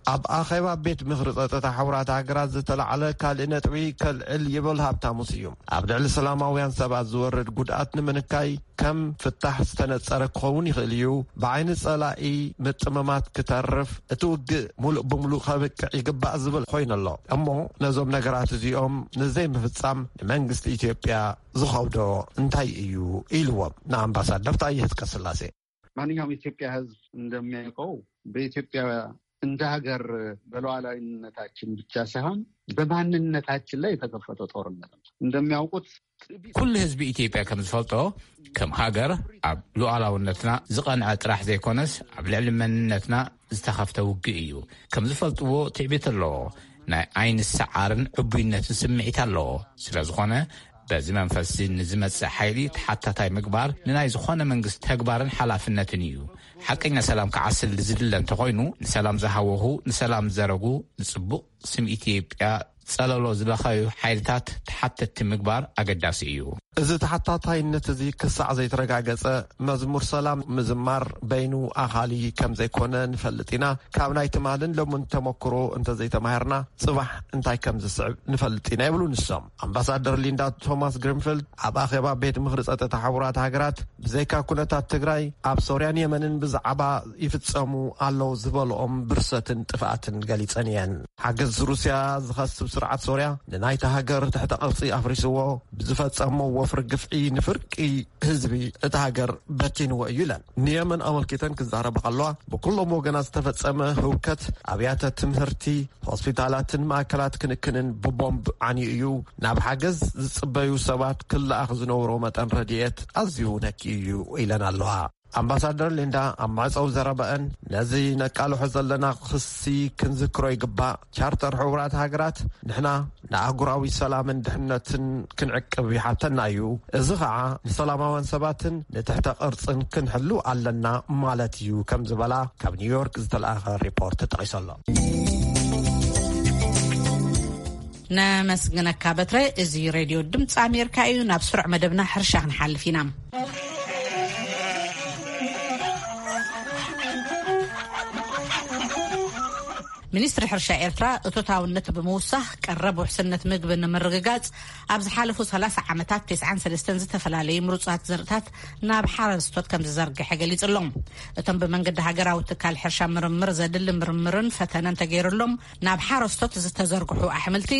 ኣብ ኣኼባ ቤት ምኽሪ ጸጥታ ሕቡራት ሃገራት ዝተላዕለ ካልእ ነጥቢ ከልዕል ይብል ሃብታሙ ስዩም። ኣብ ልዕሊ ሰላማውያን ሰባት ዝወርድ ጉድኣት ንምንካይ ከም ፍታሕ ዝተነጸረ ክኸውን ይኽእል እዩ። ብዓይኒ ጸላኢ ምጥምማት ክተርፍ እቲ ውግእ ሙሉእ ብሙሉእ ከብቅዕ ይግባእ ዝብል ኮይኑ ኣሎ። እሞ ነዞም ነገራት እዚኦም ንዘይምፍጻም ንመንግስቲ ኢትዮጵያ ዝኸብዶ እንታይ እዩ ኢልዎም ንኣምባሳደር ታየ ህዝቀስላሴ። ማንኛውም የኢትዮጵያ ህዝብ እንደሚያውቀው በኢትዮጵያ እንደ ሀገር በሉዓላዊነታችን ብቻ ሳይሆን በማንነታችን ላይ የተከፈተ ጦርነት ነው። እንደሚያውቁት ኩሉ ህዝቢ ኢትዮጵያ ከም ዝፈልጦ፣ ከም ሃገር ኣብ ሉዓላውነትና ዝቐንዐ ጥራሕ ዘይኮነስ፣ ኣብ ልዕሊ መንነትና ዝተኸፍተ ውግእ እዩ። ከም ዝፈልጥዎ፣ ትዕቢት ኣለዎ። ናይ ዓይኒ ሰዓርን ዕቡይነትን ስምዒት ኣለዎ። ስለ ዝኾነ፣ በዚ መንፈስ እዚ ንዝመጽእ ሓይሊ ተሓታታይ ምግባር ንናይ ዝኾነ መንግስቲ ተግባርን ሓላፍነትን እዩ። ሓቀኛ ሰላም ክዓስል ዝድለ እንተኾይኑ፣ ንሰላም ዝሃወኹ፣ ንሰላም ዝዘረጉ፣ ንጽቡቕ ስም ኢትዮጵያ ጸለሎ ዝበኸዩ ሓይልታት ተሓተትቲ ምግባር ኣገዳሲ እዩ። እዚ ተሓታታይነት እዚ ክሳዕ ዘይተረጋገጸ፣ መዝሙር ሰላም ምዝማር በይኑ ኣኻሊ ከም ዘይኮነ ንፈልጥ ኢና። ካብ ናይ ትማልን ሎምን ተመክሮ እንተዘይተማሂርና፣ ጽባሕ እንታይ ከም ዝስዕብ ንፈልጥ ኢና ይብሉ ንሶም። ኣምባሳደር ሊንዳ ቶማስ ግሪንፊልድ ኣብ ኣኼባ ቤት ምኽሪ ጸጥታ ሕቡራት ሃገራት፣ ብዘይካ ኩነታት ትግራይ፣ ኣብ ሶርያን የመንን ብዛዕባ ይፍጸሙ ኣለዉ ዝበልኦም ብርሰትን ጥፍኣትን ገሊጸን እየን። ሓገዝ ሩስያ ዝኸስብ ስርዓት ሶርያ ንናይታ ሃገር ትሕተ ቅርጺ ኣፍሪስዎ፣ ብዝፈጸሞ ወፍሪ ግፍዒ ንፍርቂ ህዝቢ እታ ሃገር በቲንዎ እዩ ኢለን። ንየመን ኣመልኪተን ክዛረባ ከለዋ፣ ብኩሎም ወገናት ዝተፈጸመ ህውከት ኣብያተ ትምህርቲ፣ ሆስፒታላትን ማእከላት ክንክንን ብቦምብ ዓንዩ እዩ። ናብ ሓገዝ ዝጽበዩ ሰባት ክለኣኽ ዝነብሮ መጠን ረድኤት ኣዝዩ ነኪ እዩ ኢለን ኣለዋ። ኣምባሳደር ሊንዳ ኣብ መዕጸዊ ዘረባአን፣ ነዚ ነቃልሖ ዘለና ክሲ ክንዝክሮ ይግባእ። ቻርተር ሕቡራት ሃገራት ንሕና ንኣህጉራዊ ሰላምን ድሕነትን ክንዕቅብ ይሓተና እዩ። እዚ ኸዓ ንሰላማውያን ሰባትን ንትሕተ ቅርጽን ክንሕሉ ኣለና ማለት እዩ ከም ዝበላ ካብ ኒውዮርክ ዝተለኣኸ ሪፖርት ተጠቒሱ ኣሎ። ነመስግነካ በትረ። እዚ ሬድዮ ድምፂ ኣሜሪካ እዩ። ናብ ስሩዕ መደብና ሕርሻ ክንሓልፍ ኢና። ሚኒስትሪ ሕርሻ ኤርትራ እቶታውነት ብምውሳኽ ቀረብ ውሕስነት ምግቢ ንምርግጋጽ ኣብ ዝሓለፉ ሰላሳ ዓመታት ተስዓን ሰለስተን ዝተፈላለዩ ምሩጻት ዘርእታት ናብ ሓረስቶት ከም ዝዘርግሐ ገሊጹ ኣሎ። እቶም ብመንገዲ ሃገራዊ ትካል ሕርሻ ምርምር ዘድሊ ምርምርን ፈተነን ተገይሩሎም ናብ ሓረስቶት ዝተዘርግሑ ኣሕምልቲ፣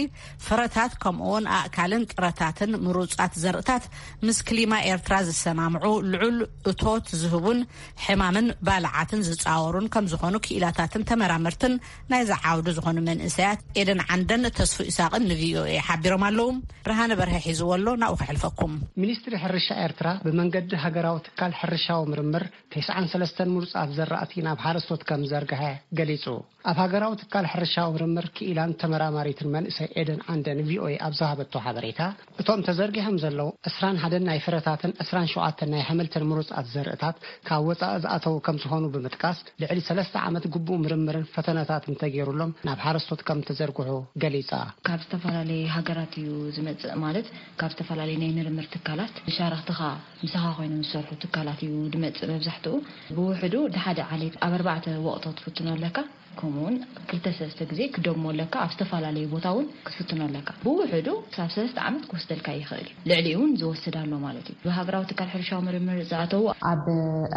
ፍረታት ከምኡውን ኣእካልን ጥረታትን ምሩጻት ዘርእታት ምስ ክሊማ ኤርትራ ዝሰማምዑ፣ ልዑል እቶት ዝህቡን ሕማምን ባልዓትን ዝጻወሩን ከም ዝኾኑ ክኢላታትን ተመራመርትን ናይዚ ዓውዲ ዝኾኑ መንእሰያት ኤደን ዓንደን ተስፉ ኢሳቕን ን ቪ ኦ ኤ ሓቢሮም ኣለዉ። ብርሃነ በርሀ ሒዝዎ ኣሎ፣ ናብኡ ከሕልፈኩም። ሚኒስትሪ ሕርሻ ኤርትራ ብመንገዲ ሃገራዊ ትካል ሕርሻዊ ምርምር ተስዓን ሰለስተን ምሩጻት ዘራእቲ ናብ ሓረስቶት ከም ዘርግሐ ገሊጹ። ኣብ ሃገራዊ ትካል ሕርሻዊ ምርምር ክኢላን ተመራማሪትን መንእሰይ ኤደን ዓንደ ን ቪ ኦ ኤ ኣብ ዝሃበቶ ሓበሬታ፣ እቶም ተዘርጊሖም ዘለዉ ዕስራን ሓደን ናይ ፍረታትን ዕስራን ሸውዓተን ናይ ኣሕምልትን ምሩጻት ዘርእታት ካብ ወጻኢ ዝኣተዉ ከም ዝኾኑ ብምጥቃስ፣ ልዕሊ ሰለስተ ዓመት ግቡእ ምርምርን ፈተነታትን ተገይሩሎም ናብ ሓረስቶት ከም ተዘርግሑ ገሊጻ። ካብ ዝተፈላለዩ ሃገራት እዩ ዝመጽእ፣ ማለት ካብ ዝተፈላለዩ ናይ ምርምር ትካላት፣ ሸረኽትኻ ምሳኻ ኮይኖም ዝሰርሑ ትካላት እዩ ዝመጽእ መብዛሕትኡ። ብውሕዱ ንሓደ ዓሌት ኣብ ኣርባዕተ ወቕቶ ትፍትኖ ኣለካ። ከምኡውን ክልተ ሰለስተ ግዜ ክደግሞ ኣለካ። ኣብ ዝተፈላለዩ ቦታ እውን ክትፍትኖ ኣለካ። ብውሕዱ ክሳብ ሰለስተ ዓመት ክወስደልካ ይኽእል እዩ። ልዕሊኡ እውን ዝወስድ ኣሎ ማለት እዩ። ብሃገራዊ ትካል ሕርሻዊ ምርምር ዝኣተዉ ኣብ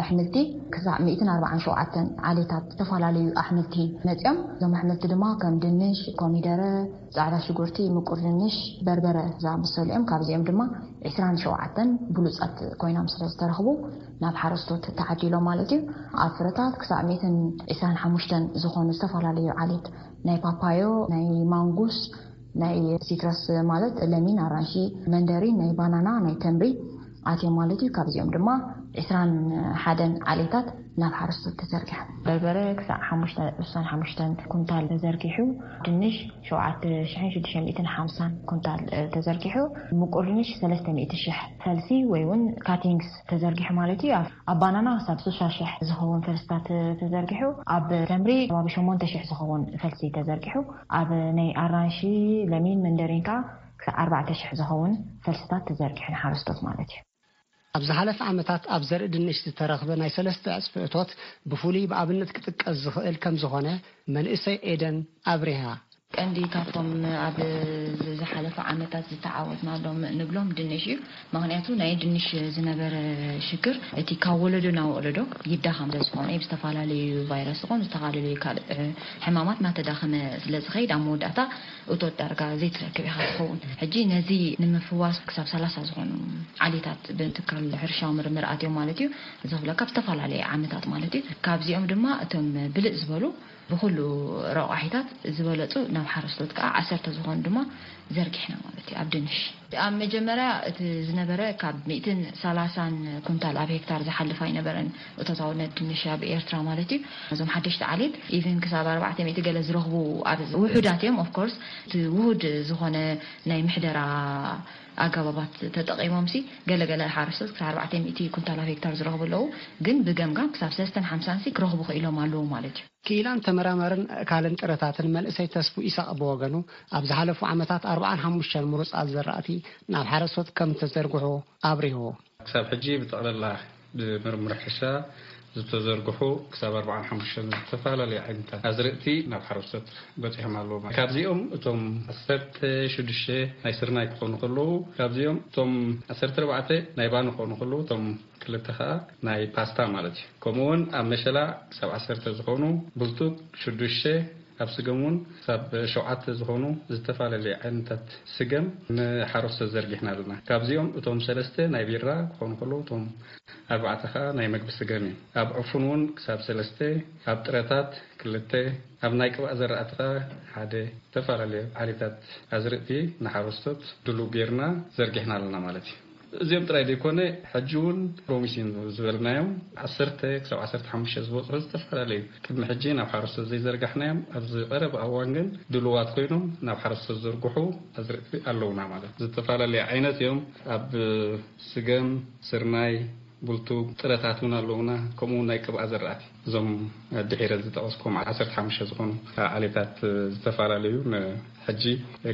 ኣሕምልቲ ክሳዕ ሚእትን ኣርባዓን ሸውዓተን ዓሌታት ዝተፈላለዩ ኣሕምልቲ መፅዮም። እዞም ኣሕምልቲ ድማ ከም ድንሽ፣ ኮሚደረ፣ ፃዕዳ ሽጉርቲ፣ ምቁር ድንሽ፣ በርበረ ዝኣመሰሉ እዮም። ካብዚኦም ድማ ዕስራን ሸውዓተን ብሉፃት ኮይኖም ስለ ዝተረኽቡ ናብ ሓረስቶት ተዓዲሎም ማለት እዩ። ኣብ ፍረታት ክሳብ ሚእትን ዕስራን ሓሙሽተን ዝኾኑ ዝተፈላለዩ ዓሌት ናይ ፓፓዮ፣ ናይ ማንጉስ፣ ናይ ሲትረስ ማለት ለሚን፣ ኣራንሺ፣ መንደሪን፣ ናይ ባናና፣ ናይ ተምሪ ኣትዮም ማለት እዩ። ካብዚኦም ድማ ዕስራን ሓደን ዓሌታት ናብ ሓረስቶት ተዘርጊሖም። በርበረ ክሳዕ ሓሙሽተ ነጥቢ ስሳን ሓሙሽተን ኩንታል ተዘርጊሑ፣ ድንሽ ሸውዓተ ሽሕን ሽዱሽተ ሚእትን ሓምሳን ኩንታል ተዘርጊሑ፣ ምቁር ድንሽ ሰለስተ ሚእቲ ሽሕ ፈልሲ ወይ እውን ካቲንግስ ተዘርጊሑ ማለት እዩ። ኣብ ባናና ክሳብ ስሳ ሽሕ ዝኸውን ፈልስታት ተዘርጊሑ፣ ኣብ ተምሪ ከባቢ ሸሞንተ ሽሕ ዝኸውን ፈልሲ ተዘርጊሑ፣ ኣብ ናይ ኣራንሺ፣ ለሚን፣ መንደሪን ከዓ ክሳብ ኣርባዕተ ሽሕ ዝኸውን ፈልስታት ተዘርጊሑ ንሓረስቶት ማለት እዩ። ኣብ ዝሓለፈ ዓመታት ኣብ ዘርኢ ድንሽ ዝተረኽበ ናይ ሰለስተ ዕጽፊ እቶት ብፍሉይ ብኣብነት ክጥቀስ ዝኽእል ከም ዝኾነ መንእሰይ ኤደን ኣብሪሃ። ቀንዲ ካብቶም ኣብ ዝሓለፈ ዓመታት ዝተዓወትናሎም ንብሎም ድንሽ እዩ። ምኽንያቱ ናይ ድንሽ ዝነበረ ሽግር እቲ ካብ ወለዶ ናብ ወለዶ ይዳኸም ስለ ዝኾነ፣ ብዝተፈላለዩ ቫይረስ ዝኾኑ፣ ዝተፈላለዩ ካልእ ሕማማት እናተዳኸመ ስለ ዝኸይድ፣ ኣብ መወዳእታ እቶት ዳርጋ ዘይትረክብ ኢኻ ትኸውን። ሕጂ ነዚ ንምፍዋስ ክሳብ ሰላሳ ዝኾኑ ዓሌታት ብትካል ሕርሻዊ ምርምር ኣትዮም ማለት እዩ። እዚ ክብለካ ብዝተፈላለየ ዓመታት ማለት እዩ። ካብዚኦም ድማ እቶም ብልጽ ዝበሉ ብኹሉ ረቋሒታት ዝበለጹ ናብ ሓረስቶት ከዓ ዓሰርተ ዝኾኑ ድማ ዘርጊሕና ማለት እዩ። ኣብ ድንሽ ኣብ መጀመርያ እቲ ዝነበረ ካብ ሚእትን ሰላሳን ኩንታል ኣብ ሄክታር ዝሓልፍ ኣይነበረን። እቶታውነት ድንሽ ኣብ ኤርትራ ማለት እዩ። እዞም ሓደሽቲ ዓሌት ኢቨን ክሳብ ኣርባዕተ ሚእቲ ገለ ዝረኽቡ ኣብ ውሑዳት እዮም። ኦፍኮርስ እቲ ውሁድ ዝኾነ ናይ ምሕደራ ኣገባባት ተጠቒሞም ሲ ገለገለ ሓረስቶት ክሳብ ኣርባዕተ ሚእቲ ኩንታል ኣብ ሄክታር ዝረኽቡ ኣለዉ። ግን ብገምጋም ክሳብ ሰለስተን ሓምሳን ሲ ክረኽቡ ክኢሎም ኣለዉ ማለት እዩ። ክኢላን ተመራማርን ኣእካልን ጥረታትን መንእሰይ ተስፉ ኢሳቕ ብወገኑ፣ ኣብ ዝሓለፉ ዓመታት ኣርባዓን ሓሙሽተን ምሩጻት ዘራእቲ ናብ ሓረስቶት ከም ተዘርግሑ ኣብሪሁ። ክሳብ ሕጂ ብጠቕለላ ብምርምር ሕርሻ ዝተዘርግሑ ክሳብ ኣርባዓን ሓሙሽተን ዝተፈላለዩ ዓይነታት ኣዝርእቲ ናብ ሓረስቶት በጺሖም ኣለዉ። ካብዚኦም እቶም ዓሰርተ ሽዱሽተ ናይ ስርናይ ክኾኑ ከለዉ፣ ካብዚኦም እቶም ዓሰርተ ኣርባዕተ ናይ ባኒ ክኾኑ ከለዉ፣ እቶም ክልተ ኸኣ ናይ ፓስታ ማለት እዩ። ከምኡ እውን ኣብ መሸላ ክሳብ ዓሰርተ ዝኾኑ፣ ብልጡግ ሽዱሽተ፣ ኣብ ስገም እውን ክሳብ ሸውዓተ ዝኾኑ ዝተፈላለዩ ዓይነታት ስገም ንሓረስቶት ዘርጊሕና ኣለና። ካብዚኦም እቶም ሰለስተ ናይ ቢራ ክኾኑ ከለዉ፣ እቶም ኣርባዕተ ኸኣ ናይ መግቢ ስገም እዮም። ኣብ ዕፉን እውን ክሳብ ሰለስተ፣ ኣብ ጥረታት ክልተ፣ ኣብ ናይ ቅብኣ ዘራእቲ ኸኣ ሓደ፣ ዝተፈላለዩ ዓሌታት ኣዝርእቲ ንሓረስቶት ድሉው ጌርና ዘርጊሕና ኣለና ማለት እዩ። እዚኦም ጥራይ ዘይኮነ፣ ሕጂ እውን ፕሮሚሲን ዝበልናዮም ዓሰርተ ክሳብ ዓሰርተ ሓሙሽተ ዝበጽሑ ዝተፈላለዩ ቅድሚ ሕጂ ናብ ሓረስቶት ዘይዘርጋሕናዮም ኣብዚ ቀረባ እዋን ግን ድሉዋት ኮይኖም ናብ ሓረስቶት ዝዝርግሑ ኣዝርእቲ ኣለውና ማለት እዩ። ዝተፈላለዩ ዓይነት እዮም። ኣብ ስገም፣ ስርናይ፣ ቡልቱ፣ ጥረታት እውን ኣለውና። ከምኡ እውን ናይ ቅብኣ ዘራእቲ፣ እዞም ድሒረ ዝጠቐስኩም ዓሰርተ ሓሙሽተ ዝኾኑ ዓሌታት ዝተፈላለዩ ን- ሕጂ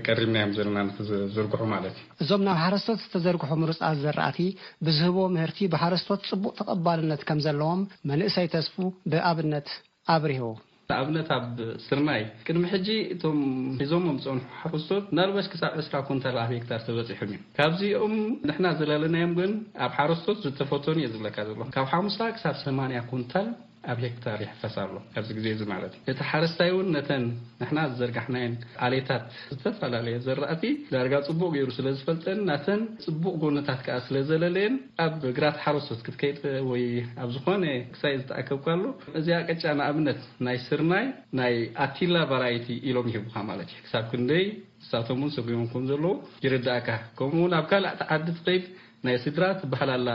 ቀሪብናዮም ዘለና ንክዝርግሑ ማለት እዩ። እዞም ናብ ሓረስቶት ዝተዘርግሑ ምሩጻት ዘራእቲ ብዝህብዎ ምህርቲ ብሓረስቶት ጽቡቕ ተቐባልነት ከም ዘለዎም መንእሰይ ተስፉ ብኣብነት ኣብሪሁ። ንኣብነት ኣብ ስርናይ ቅድሚ ሕጂ እቶም ሒዞሞም ዝጸንሑ ሓረስቶት ምናልባሽ ክሳብ ዕስራ ኩንታል ኣብ ሄክታር ተበጺሖም እዮም። ካብዚኦም ንሕና ዝለለናዮም ግን ኣብ ሓረስቶት ዝተፈተኑ እየ ዝብለካ ዘለኹ። ካብ ሓሙሳ ክሳብ ሰማንያ ኩንታል ኣብ ሄክታር ይሕፈስ ኣሎ ኣብዚ ግዜ እዚ ማለት እዩ። እቲ ሓረስታይ እውን ነተን ንሕና ዝዘርጋሕናየን ዓሌታት ዝተፈላለየ ዘራእቲ ዳርጋ ጽቡቕ ገይሩ ስለ ዝፈልጠን ናተን ጽቡቕ ጎነታት ከኣ ስለ ዘለለየን ኣብ ግራት ሓረስቶት ክትከይድ ወይ ኣብ ዝኾነ ክሳይ ዝተኣከብካሉ እዚኣ ቅጫ ንኣብነት ናይ ስርናይ ናይ ኣቲላ ቫራይቲ ኢሎም ይህቡኻ ማለት እዩ። ክሳብ ክንደይ ንሳቶም እውን ሰጒሞም ከም ዘለዉ ይርዳእካ። ከምኡ እውን ኣብ ካልእ ዓዲ ትኸይድ ናይ ስድራ ትበሃል ኣላ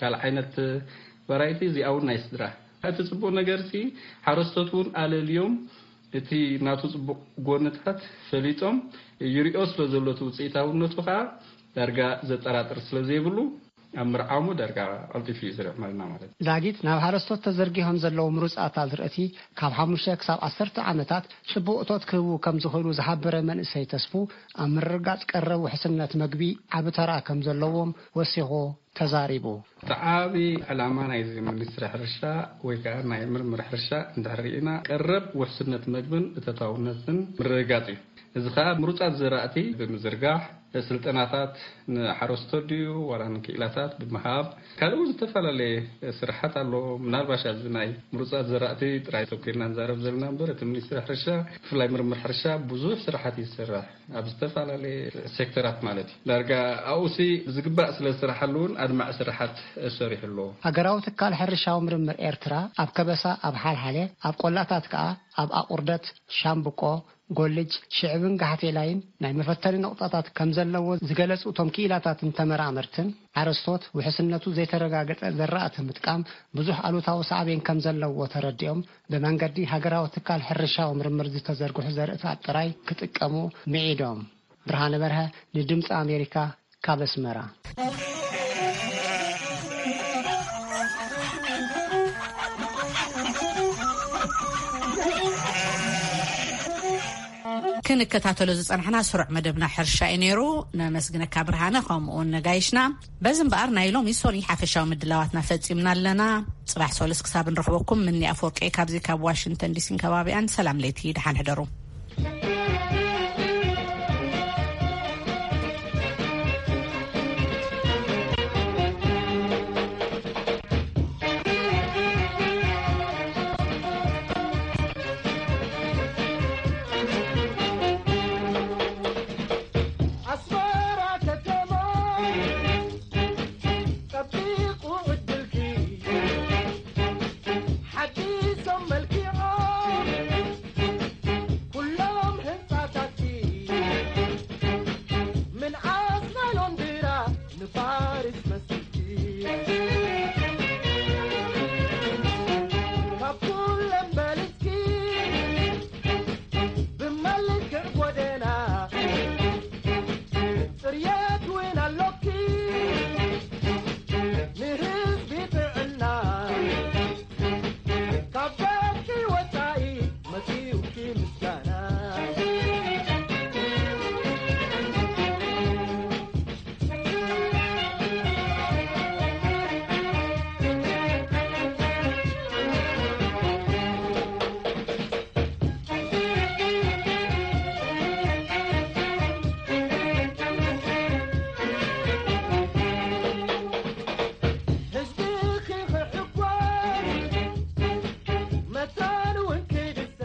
ካልእ ዓይነት ቫራይቲ እዚኣ እውን ናይ ስድራ እቲ ጽቡቕ ነገርሲ ሓረስቶት እውን ኣለልዮም እቲ ናቱ ጽቡቕ ጎንታት ፈሊጦም ይሪኦ ስለ ዘሎ እቲ ውጽኢታውነቱ ከኣ ዳርጋ ዘጠራጥር ስለ ዘይብሉ ኣብ ምርዓሙ ዳርጋ ቀልጢፉ እዩ ዝርዕመልና ማለት እዩ። ዳጊት ናብ ሓረስቶት ተዘርጊሖም ዘለዉ ምሩጻት ኣዝርእቲ ካብ ሓሙሽተ ክሳብ ዓሰርተ ዓመታት ጽቡቕ እቶት ክህቡ ከም ዝኽእሉ ዝሓበረ መንእሰይ ተስፉ ኣብ ምርግጋጽ ቀረብ ውሕስነት መግቢ ዓቢ ተራ ከም ዘለዎም ወሲኹ ተዛሪቡ። እቲ ዓቢ ዕላማ ናይዚ ሚኒስትሪ ሕርሻ ወይ ከኣ ናይ ምርምር ሕርሻ እንድሕር ርኢና ቀረብ ውሕስነት መግብን እቶታውነትን ምርግጋጽ እዩ። እዚ ከኣ ምሩጻት ዘራእቲ ብምዝርጋሕ ስልጠናታት ንሓረስቶት ድዩ ዋላ ንክኢላታት ብምሃብ ካልእ እውን ዝተፈላለየ ስራሓት ኣሎ። ምናልባሽ ኣብዚ ናይ ምሩጻት ዘራእቲ ጥራይ ተኮይና ንዛረብ ዘለና እምበር እቲ ሚኒስትሪ ሕርሻ ብፍላይ ምርምር ሕርሻ ብዙሕ ስራሓት ይሰርሕ። ኣብ ዝተፈላለየ ሴክተራት ማለት እዩ። ዳርጋ ኣብኡሲ ብዝግባእ ስለ ዝስርሓሉ እውን ኣድማዒ ስራሓት ሰሪሑ ኣሎ። ሃገራዊ ትካል ሕርሻዊ ምርምር ኤርትራ ኣብ ከበሳ፣ ኣብ ሓልሓለ፣ ኣብ ቆላታት ከኣ ኣብ ኣቑርደት፣ ሻምብቆ፣ ጎልጅ፣ ሽዕብን ጋሕቴላይን ናይ መፈተኒ ነቑጣታት ከም ዘለዎ ዝገለጹ እቶም ክኢላታትን ተመራመርትን ሓረስቶት ውሕስነቱ ዘይተረጋገጸ ዘራእቲ ምጥቃም ብዙሕ ኣሉታዊ ሳዕቤን ከም ዘለዎ ተረዲኦም ብመንገዲ ሃገራዊ ትካል ሕርሻዊ ምርምር ዝተዘርግሑ ዘርእታት ጥራይ ክጥቀሙ ምዒዶም። ብርሃነ በርሀ ንድምፂ ኣሜሪካ ካብ ኣስመራ። ክንከታተሎ ዝጸናሕና ስሩዕ መደብና ሕርሻ እዩ ነይሩ። ነመስግነካ ብርሃነ፣ ከምኡውን ነጋይሽና። በዚ እምበኣር ናይ ሎሚ ሶኒ ሓፈሻዊ ምድላዋትና ፈጺምና ኣለና። ጽባሕ ሶሉስ ክሳብ ንረኽበኩም ምኒ ኣፈወርቂ ካብዚ ካብ ዋሽንግተን ዲሲን ከባቢኣን ሰላም ለይቲ፣ ደሓን ሕደሩ።